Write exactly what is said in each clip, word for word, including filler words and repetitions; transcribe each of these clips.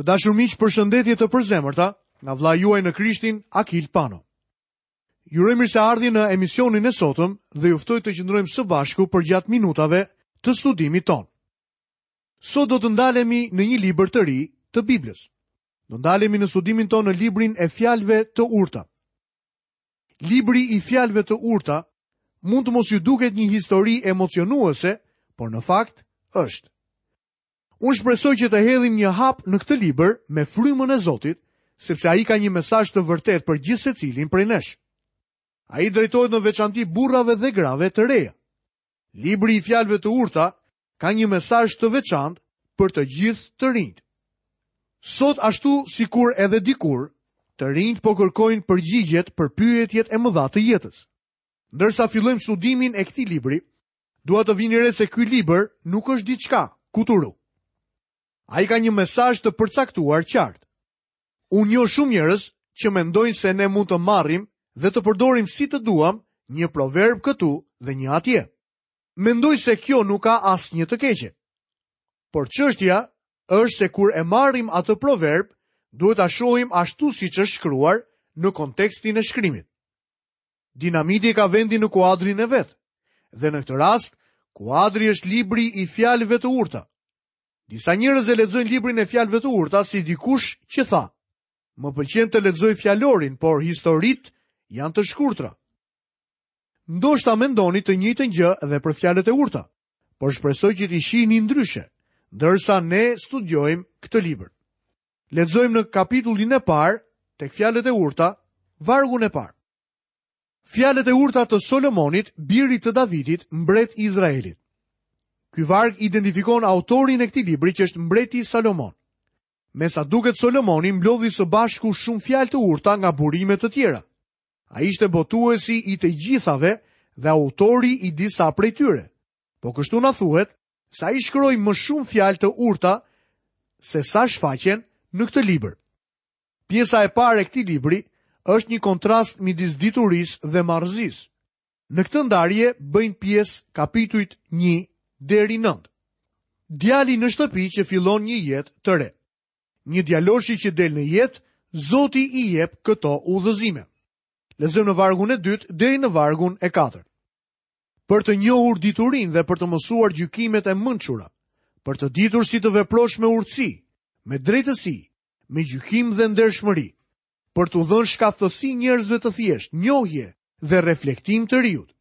Të dashur miq, përshëndetje të përzemërta nga vëllai juaj në Krishtin, Akil Pano. Ju uroj mirëseardhje në emisionin e sotëm dhe ju ftoj të qëndrojmë së bashku përgjatë minutave të studimit tonë. Sot do të ndalemi në një libër të ri të Biblës. Do ndalemi në studimin tonë në librin e fjalëve të urta. Libri i fjalëve të urta mund të mos ju duket një histori emocionuese, por në fakt është. Unë shpresoj që të hedhim një hap në këtë libër me frymën e Zotit, sepse ai ka një mesazh të vërtetë për gjithsecilin prej nesh. Ai drejtohet në veçanti burrave dhe grave të reja. Libri i fjalëve të urta ka një mesazh të veçantë për të gjithë të rinjtë. Sot ashtu sikur edhe dikur, të rinjtë po kërkojnë përgjigjet për pyetjet e mëdha të jetës. Ndërsa fillojmë studimin e këtij libri, dua të vini re se ky libër nuk është diçka kuturu. Ai ka një mesazh të përcaktuar qartë. Unë njoh shumë njerëz që mendojnë se ne mund të marrim dhe të përdorim si të duam një proverb këtu dhe një atje. Mendoj se kjo nuk ka asnjë të keqe. Por çështja është se kur e marrim atë proverb, duhet ta shohim ashtu siç është shkruar në kontekstin e shkrimit. Dinamiti ka vendin në kuadrin e vet. Dhe në këtë rast, kuadri është libri i fjalëve të urta. Disa njerëz e lexojnë librin e fjalëve të urta si dikush që tha: "Më pëlqen të lexoj fjalorin, por historitë janë të shkurtra." Ndoshta mendoni të njëjtën gjë edhe për fjalët e urta, por shpresoj që t'i shihni ndryshe, ndërsa ne studiojmë këtë libër. Lexojmë në kapitullin e parë, tek fjalët e urta, vargun e parë. Fjalët e urta të Solomonit, birit të Davidit, mbret i Izraelit. Ky varg identifikon autorin e këtij libri që është mbreti Salomon. Me sa duket Solomoni mblodhi së bashku shumë fjalë të urta nga burime të tjera. Ai ishte botuesi i të gjithave dhe autori i disa prej tyre. Po kështu na thuhet se ai shkroi më shumë fjalë të urta se sa shfaqen në këtë libër. Pjesa e parë e këtij libri është një kontrast midis diturisë dhe marrëzisë. Në këtë ndarje bëjnë pjesë kapitujt një deri nëntë. Djali në shtëpi që fillon një jetë të re. Një djaloshi që del në jetë, Zoti i jep këto udhëzime. Lexojmë në vargun e dytë deri në vargun e katërt. Për të njohur diturinë dhe për të mësuar gjykimet e mençura, për të ditur si të veprosh me urtësi, me drejtësi, me gjykim dhe ndershmëri, për t'u dhënë shkathtësi njerëzve të thjeshtë, njohje dhe reflektim të riut.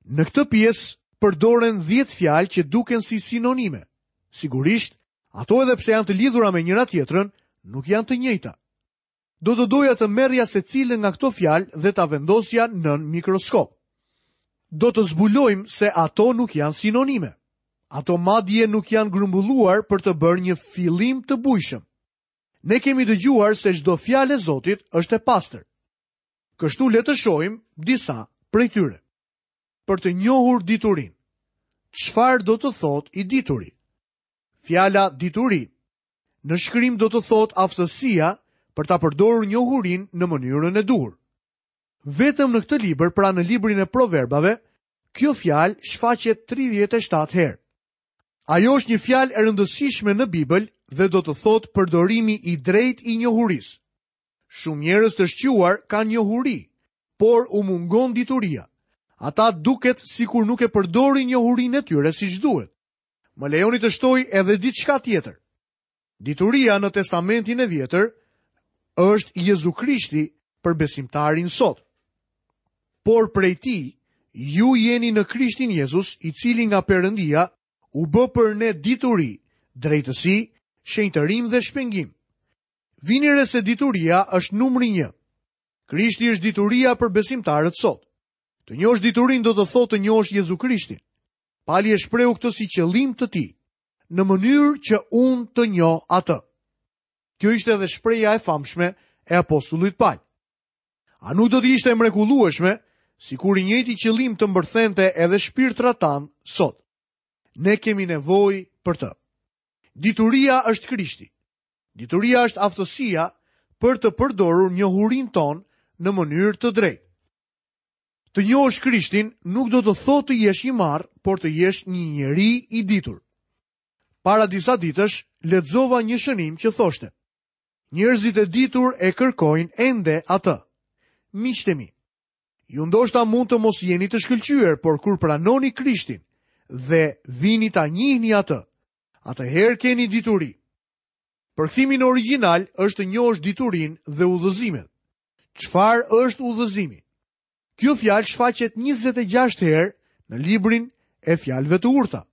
Në këtë pjesë përdoren dhjetë fjalë që duken si sinonime. Sigurisht, ato edhe pse janë të lidhura me njëra tjetrën, nuk janë të njëjta. Do të doja të merrja secilën nga këto fjalë dhe ta vendosja nën mikroskop. Do të zbulojmë se ato nuk janë sinonime. Ato madje nuk janë grumbulluar për të bërë një fillim të bujshëm. Ne kemi dëgjuar se çdo fjalë e Zotit është e pastër. Kështu le të shohim disa prej tyre. Për të njohur diturinë. Çfarë do të thotë i dituri? Fjala dituri në shkrim do të thotë aftësia për ta përdorur njohurinë në mënyrën e duhur. Vetëm në këtë libër, pra në librin e proverbave, kjo fjalë shfaqet tridhjetë e shtatë herë. Ajo është një fjalë e rëndësishme në Bibël dhe do të thotë përdorimi i drejtë i njohurisë. Shumë njerëz të shquar kanë njohuri, por u mungon dituria. Ata duket sikur nuk e përdorin njohurinë e tyre siç duhet. Më lejoni të shtoj edhe diçka tjetër. Dituria në Testamentin e Vjetër është Jezu Krishti për besimtarin sot. Por prej tij, ju jeni në Krishtin Jezus, i cili nga Perëndia u bë për ne dituri, drejtësi, shenjtërim dhe shpengim. Vini re se dituria është numri një. Krishti është dituria për besimtarët sot. Të njohësh diturinë do të thotë të njohësh Jezu Krishtin. Pali e shprehu këtë si qëllim të tij, në mënyrë që unë të njoh atë. Kjo ishte edhe shprehja e famshme e apostullit Pal. A nuk do të ishte e mrekullueshme sikur i njëjti qëllim të mbërthente edhe shpirtrat tan sot? Ne kemi nevojë për të. Dituria është Krishti. Dituria është aftësia për të përdorur njohurinë tonë në mënyrë të drejtë. Të njohësh Krishtin nuk do të thotë të jesh i marrë, por të jesh një njeri i ditur. Para disa ditësh lexova një shënim që thoshte: Njerëzit e ditur e kërkojnë ende atë. Miqtë e mi, ju ndoshta mund të mos jeni të shkëlqyer, por kur pranoni Krishtin dhe vini ta njihni atë, atëherë keni dituri. Përkthimi në origjinal është të njohësh diturinë dhe udhëzimet. Çfarë është udhëzimi? Kjo fjalë shfaqet njëzet e gjashtë herë në librin e fjalëve të urta.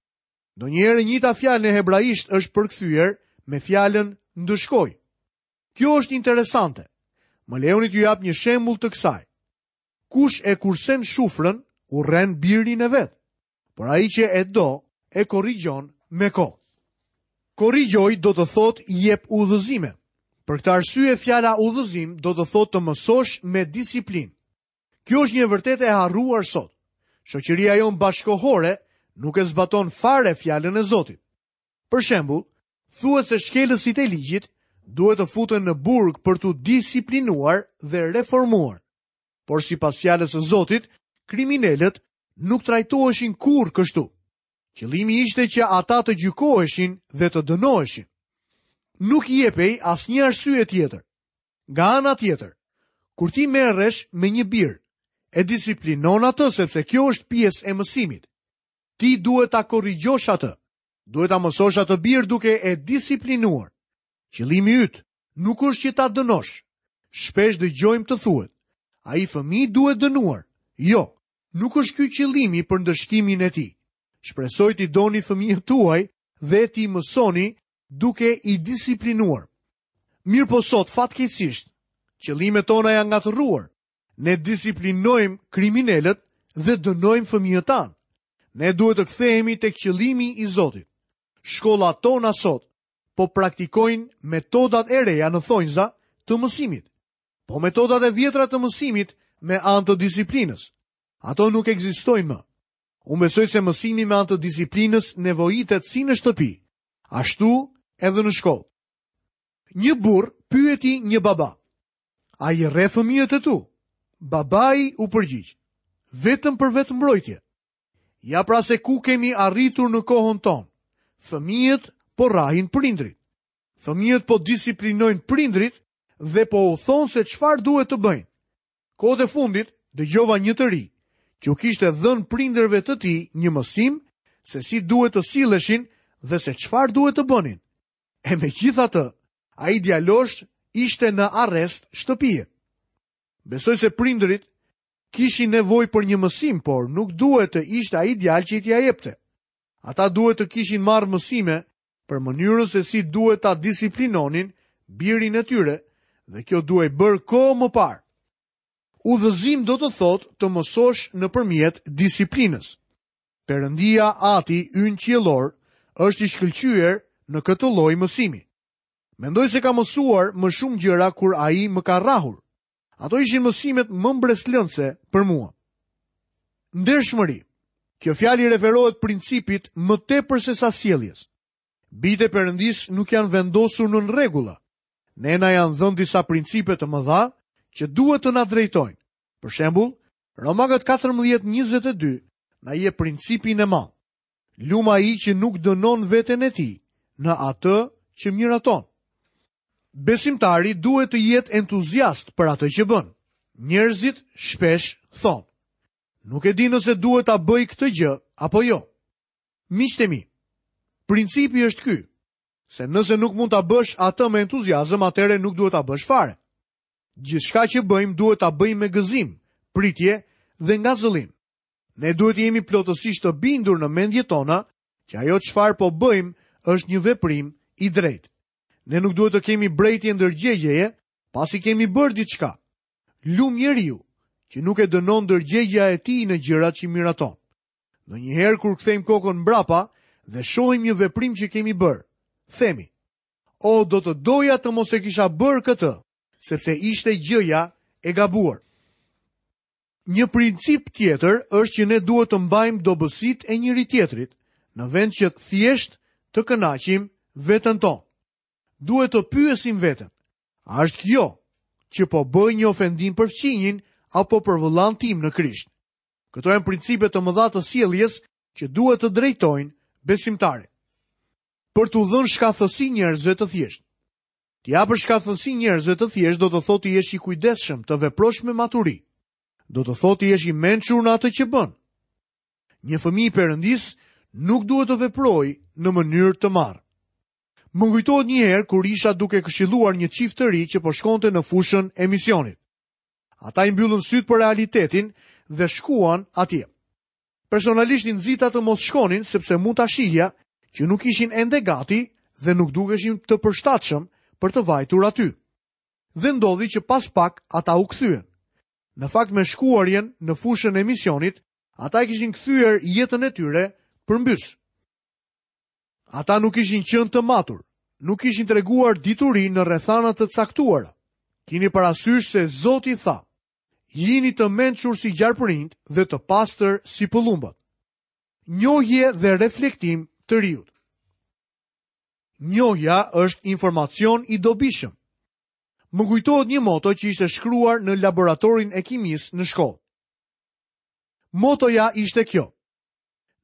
Ndonjëherë e njëjta fjalë në hebraisht është përkthyer me fjalën ndëshkoj. Kjo është interesante. Më lejoni t'ju jap një shembull të kësaj. Kush e kursen shufrën, urren birin e vet, por ai që e do, e korrigjon me kohë. Korrigjoj do të thotë jep udhëzime. Për këtë arsye fjala udhëzim do të thotë të mësosh me disiplinë. Kjo është një vërtetë e harruar sot. Shoqëria jonë bashkohore nuk e zbaton fare fjalën e Zotit. Për shembull, thuhet se shkelësit e ligjit duhet të futen në burg për t'u disiplinuar dhe reformuar. Por sipas fjalës së Zotit, kriminelët nuk trajtoheshin kurrë kështu. Qëllimi ishte që ata të gjykoheshin dhe të dënoheshin. Nuk jepej asnjë arsye tjetër. Nga ana tjetër, kur ti merresh me një bir, e disiplinon atë sepse kjo është pjesë e mësimit. Ti duhet ta korrigjosh atë. Duhet ta mësosh atë bir duke e disiplinuar. Qëllimi yt nuk është që ta dënosh. Shpesh dëgjojmë të thuhet, ai fëmijë duhet dënuar. Jo, nuk është ky qëllimi për ndëshkimin e tij. Shpresoj t'i doni fëmijët tuaj dhe t'i mësoni duke i disiplinuar. Mirë po sot, fatkeqësisht, qëllimet tona janë ngatërruar. Ne disiplinojmë kriminelët dhe dënojmë fëmijët tanë. Ne duhet të kthehemi tek qëllimi i Zotit. Shkollat tona sot po praktikojnë metodat e reja në thonjza të mësimit. Po metodat e vjetra të mësimit me anë të disiplinës. Ato nuk ekzistojnë më. Unë besoj se mësimi me anë të disiplinës nevojitet si në shtëpi, ashtu edhe në shkollë. Një burr pyeti një baba: A i rreh fëmijët e tu? Babai u përgjigj: Vetëm për vetëmbrojtje. Ja pra se ku kemi arritur në kohën tonë. Fëmijët po rrahin prindrit. Fëmijët po disiplinojnë prindrit dhe po u thonë se çfarë duhet të bëjnë. Kohët e fundit dëgjova një të ri që u kishte dhënë prindërve të tij një mësim se si duhet të silleshin dhe se çfarë duhet të bënin. E megjithatë, ai djalosh ishte në arrest shtëpie. Besoj se prindërit kishin nevojë për një mësim, por nuk duhet të ishte ai djalë që i t'ia jepte. Ata duhet të kishin marrë mësime për mënyrën se si duhet ta disiplinonin birin e tyre, dhe kjo duhej bërë kohë më parë. Udhëzim do të thotë të mësosh nëpërmjet disiplinës. Perëndia Ati ynë qiellor është i shkëlqyer në këtë lloj mësimi. Mendoj se ka mësuar më shumë gjëra kur ai më ka rrahur. Ato ishin mësimet më mbresëlënëse për mua. Ndershmëri. Kjo fjalë i referohet principit më tepër se sa sjelljes. Bijtë e Perëndisë nuk janë vendosur nën rregulla. Ne na janë dhënë disa principe të mëdha që duhet të na drejtojnë. Për shembull, Romakët katërmbëdhjetë njëzet e dy na jep principin e madh. Lum ai që nuk dënon veten e tij në atë që miraton. Besimtari duhet të jetë entuziast për atë që bën. Njerëzit shpesh thonë, nuk e di nëse duhet ta bëj këtë gjë apo jo. Miqtë e mi, principi është ky, se nëse nuk mund ta bësh atë me entuziazëm, atëherë nuk duhet ta bësh fare. Gjithçka që bëjmë duhet ta bëjmë me gëzim, pritje dhe ngazëllim. Ne duhet të jemi plotësisht të bindur në mendjet tona që ajo çfarë po bëjmë është një veprim i drejtë. Ne nuk duhet të kemi brejtje ndërgjegjeje pasi kemi bërë diçka. Lum njeriu që nuk e dënon ndërgjegja e tij në gjërat që miraton. Ndonjëherë kur kthejmë kokën mbrapa dhe shohim një veprim që kemi bërë, themi: O, do të doja të mos e kisha bërë këtë, sepse ishte gjëja e gabuar. Një princip tjetër është që ne duhet të mbajmë dobësitë e njëri tjetrit, në vend që thjesht të kënaqim veten tonë. Duhet të pyesim veten, a është kjo që po bëj një ofendim për fqinjin apo për vëllan tim në Krisht? Këto janë principe të mëdha të sjelljes që duhet të drejtojnë besimtarin. për t'u dhënë shkathësi njerëzve të thjeshtë. T'i japësh shkathësi njerëzve të thjeshtë do të thotë të jesh i kujdesshëm, të veprosh me maturi. Do të thotë të jesh i mençur në atë që bën. Një fëmijë i Perëndisë nuk duhet të veprojë në mënyrë të marrë. Më kujtohet një herë kur isha duke këshilluar një çift të ri që po shkonte në fushën e misionit. Ata i mbyllën sytë për realitetin dhe shkuan atje. Personalisht i nxita të mos shkonin sepse mund ta shihja që nuk ishin ende gati dhe nuk dukeshin të përshtatshëm për të vajtur aty. Dhe ndodhi që pas pak ata u kthyen. Në fakt me shkuarjen në fushën e misionit, ata e kishin kthyer jetën e tyre përmbys. Ata nuk ishin qenë të matur, nuk kishin treguar dituri në rrethana të caktuara. Kini parasysh se Zoti tha: "Jini të mençur si gjarpërinjt dhe të pastër si pëllumbat." Njohje dhe reflektim të riut. Njohja është informacion i dobishëm. Më kujtohet një moto që ishte shkruar në laboratorin e kimisë në shkollë. Motoja ishte kjo: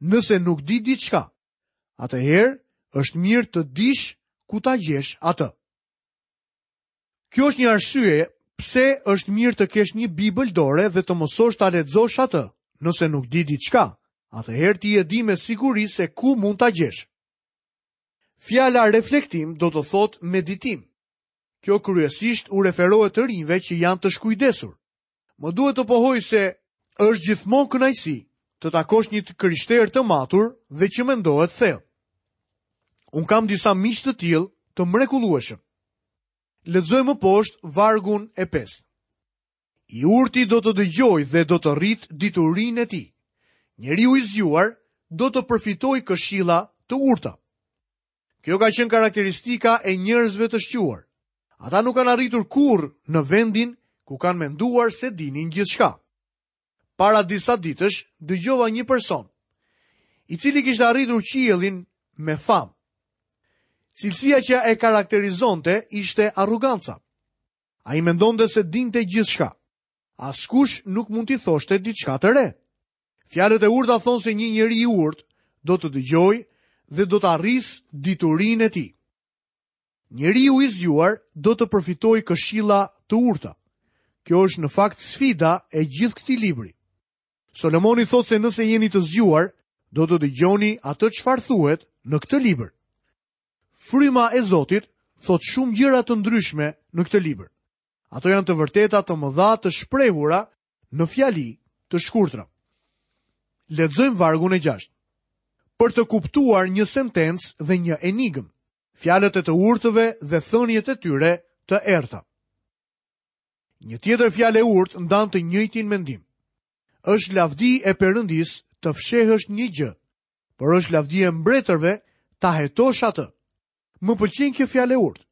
Nëse nuk di diçka, atëherë është mirë të dish ku ta gjesh atë. Kjo është një arsye pse është mirë të kesh një Bibël dore dhe të mësosh ta lexosh atë. Nëse nuk di diçka, atëherë ti e di me siguri se ku mund ta gjesh. Fjala reflektim do të thotë meditim. Kjo kryesisht u referohet të rinjve që janë të shkujdesur. Më duhet të pohoj se është gjithmonë kënaqësi të takosh një të krishterë të matur dhe që mendohet thellë. Unë kam disa miq të tillë të mrekullueshëm. Lexoj më poshtë vargun e pestë. I urti do të dëgjojë dhe do të rrit diturinë e tij. Njeriu i zgjuar do të përfitojë këshilla të urta. Kjo ka qenë karakteristika e njerëzve të shquar. Ata nuk kanë arritur kurrë në vendin ku kanë menduar se dinin gjithçka. Para disa ditësh dëgjova një person, i cili kishte arritur qiellin me famë. Cilësia që e karakterizonte ishte arroganca. Ai mendonte se dinte gjithçka. Askush nuk mund t'i thoshte diçka të re. Fjalët e urta thonë se një njeri i urtë do të dëgjojë dhe do të arrisë diturinë e tij. Njeriu i zgjuar do të përfitojë këshilla të urta. Kjo është në fakt sfida e gjithë këtij libri. Solomoni thotë se nëse jeni të zgjuar, do të dëgjoni atë çfarë thuhet në këtë libër. Fryma e Zotit thotë shumë gjëra të ndryshme në këtë libër. Ato janë të vërteta të mëdha të shprehura në fjali të shkurtra. Lexojmë vargun e gjashtë. Për të kuptuar një sentencë dhe një enigmë, fjalët e të urtëve dhe thëniet e tyre të errta. Një tjetër fjalë e urtë ndan të njëjtin mendim. Është lavdi e Perëndisë të fshehësh një gjë, por është lavdi e mbretërve ta hetosh atë. Më pëlqen kjo fjalë e urtë.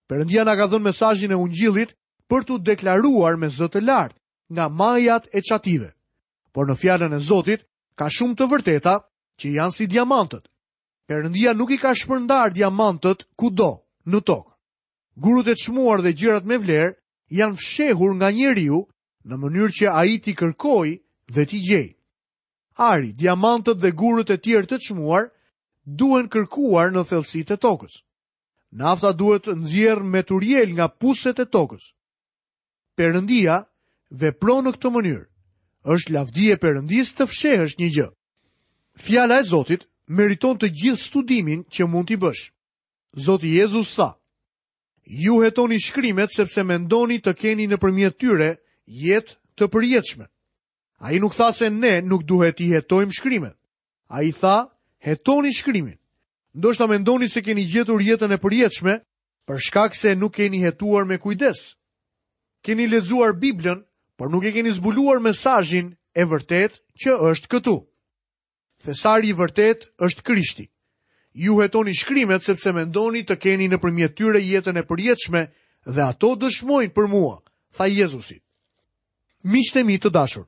Perëndia na ka dhënë mesazhin e Ungjillit për t'u deklaruar me zë të lartë nga majat e çative. Por në fjalën e Zotit ka shumë të vërteta që janë si diamantët. Perëndia nuk i ka shpërndar diamantët kudo në tokë. Gurët e çmuar dhe gjërat me vlerë janë fshehur nga njeriu në mënyrë që ai t'i kërkojë dhe t'i gjejë. Ari, diamantët dhe gurët e tjerë të çmuar duhen kërkuar në thellësitë e tokës. Nafta duhet nxjerr me turjel nga puset e tokës. Perëndia vepron në këtë mënyrë. Është lavdi e Perëndisë të fshehësh një gjë. Fjala e Zotit meriton të gjithë studimin që mund t'i bësh. Zoti Jezus tha: Ju hetoni shkrimet sepse mendoni të keni nëpërmjet tyre jetë të përjetshme. Ai nuk tha se ne nuk duhet t'i hetojmë shkrimet. Ai tha, hetoni shkrimin. Ndoshta mendoni se keni gjetur jetën e përjetshme për shkak se nuk keni hetuar me kujdes. Keni lexuar Biblën, por nuk e keni zbuluar mesazhin e vërtet që është këtu. Thesari i vërtet është Krishti. Ju hetoni shkrimet sepse mendoni të keni nëpërmjet tyre jetën e përjetshme dhe ato dëshmojnë për mua, tha Jezusi. Miqtë e mi të dashur,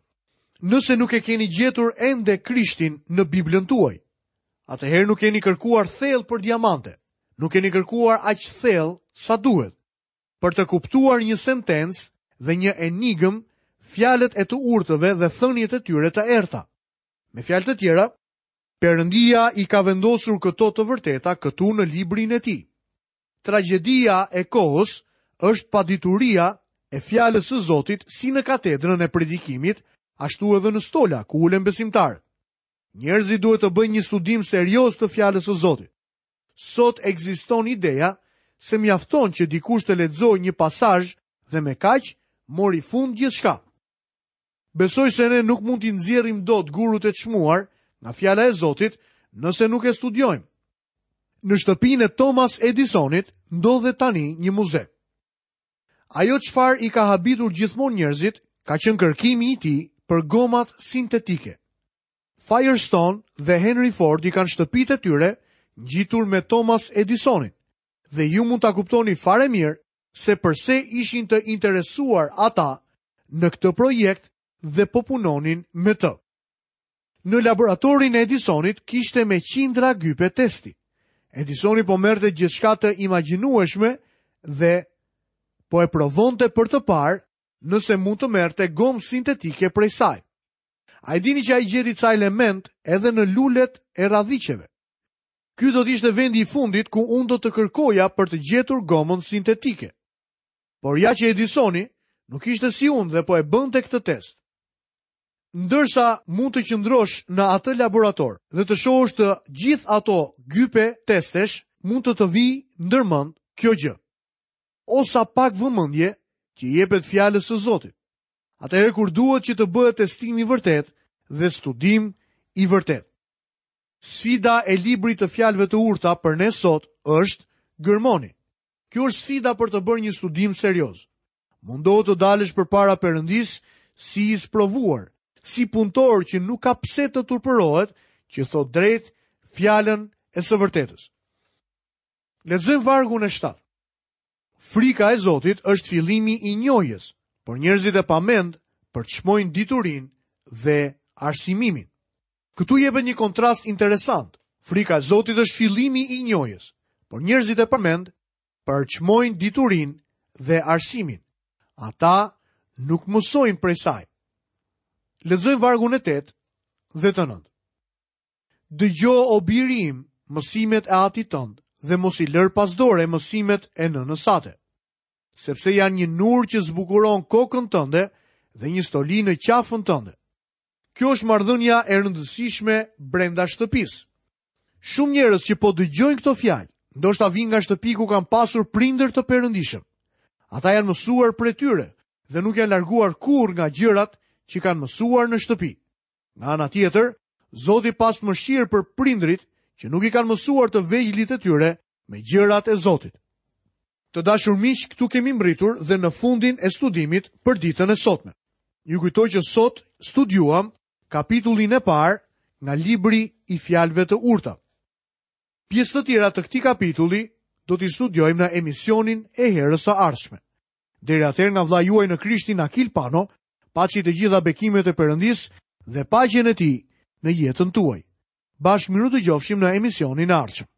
nëse nuk e keni gjetur ende Krishtin në Biblën tuaj, atëherë nuk keni kërkuar thellë për diamante, nuk keni kërkuar aq thellë sa duhet. Për të kuptuar një sentencë dhe një enigmë, fjalët e të urtëve dhe thëniet e tyre të errta. Me fjalë të tjera, Perëndia i ka vendosur këto të vërteta këtu në librin e tij. Tragjedia e kohës është padituria e fjalës së Zotit si në katedrën e predikimit, ashtu edhe në stola ku ulen besimtarët. Njerëzit duhet të bëjnë një studim serioz të fjalës së Zotit. Sot ekziston ideja se mjafton që dikush të lexojë një pasazh dhe me kaq mori fund gjithçka. Besoj se ne nuk mund t'i nxjerrim dot gurët e çmuar nga fjala e Zotit nëse nuk e studiojmë. Në shtëpinë e Thomas Edisonit ndodhet tani një muze. Ajo çfarë i ka habitur gjithmonë njerëzit ka qenë kërkimi i tij për gomat sintetike. Firestone dhe Henry Ford i kanë shtëpitë e tyre ngjitur me Thomas Edisonin dhe ju mund ta kuptoni fare mirë se përse ishin të interesuar ata në këtë projekt dhe po punonin me të. Në laboratorin e Edisonit kishte me qindra gype testi. Edisoni po merrte gjithçka të imagjinueshme dhe po e provonte për të parë nëse mund të merrte gomë sintetike prej saj. A e dini që ai gjeti ca element edhe në lulet e radhiqeve? Ky do të ishte vendi i fundit ku unë do të kërkoja për të gjetur gomën sintetike. Por ja që Edisoni nuk ishte si unë dhe po e bënte këtë test. Ndërsa mund të qëndrosh në atë laborator dhe të shohësh të gjithë ato gype testesh, mund të të vijë ndërmend kjo gjë. O sa pak vëmendje që i jepet fjalës së Zotit. Atëherë kur duhet që të bëhet testim i vërtet dhe studim i vërtet. Sfida e librit të fjalëve të urta për ne sot është gërmoni. Kjo është sfida për të bërë një studim serioz. Mundohu të dalësh përpara Perëndisë si i sprovuar, si punëtor që nuk ka pse të turpërohet, që thot drejt fjalën e së vërtetës. Lexojmë vargun e shtatë. Frika e Zotit është fillimi i njohjes, por njerëzit e pamend përçmojnë diturinë dhe arsimimin. Këtu jepet një kontrast interesant. Frika e Zotit është fillimi i njohjes, por njerëzit e pamend përçmojnë diturinë dhe arsimin. Ata nuk mësojnë prej saj. Lexojmë vargun e tetë dhe të nëntë. Dëgjo, o biri im, mësimet e atit tënd dhe mos i lër pas dore mësimet e nënës sate, sepse janë një nur që zbukuron kokën tënde dhe një stoli në qafën tënde. Kjo është marrëdhënia e rëndësishme brenda shtëpisë. Shumë njerëz që po dëgjojnë këto fjalë, ndoshta vijnë nga shtëpi ku kanë pasur prindër të perëndishëm. Ata janë mësuar prej tyre dhe nuk janë larguar kurrë nga gjërat që kanë mësuar në shtëpi. Nga ana tjetër, Zoti pas mëshirë për prindrit që nuk i kanë mësuar të vegjlit e tyre me gjërat e Zotit. Të dashur miq, këtu kemi mbritur dhe në fundin e studimit për ditën e sotme. Ju kujtoj që sot studiuam kapitullin e parë nga libri i fjalëve të urta. Pjesë të tjera të këtij kapitulli do t'i studiojmë në emisionin e herës së ardhshme. Deri atëherë, nga vëllai juaj në Krishtin Akil Pano, paçi të gjitha bekimet e Perëndisë dhe paqen e tij në jetën tuaj. Bashkë mirë u dëgjofshim në emisionin e ardhshëm.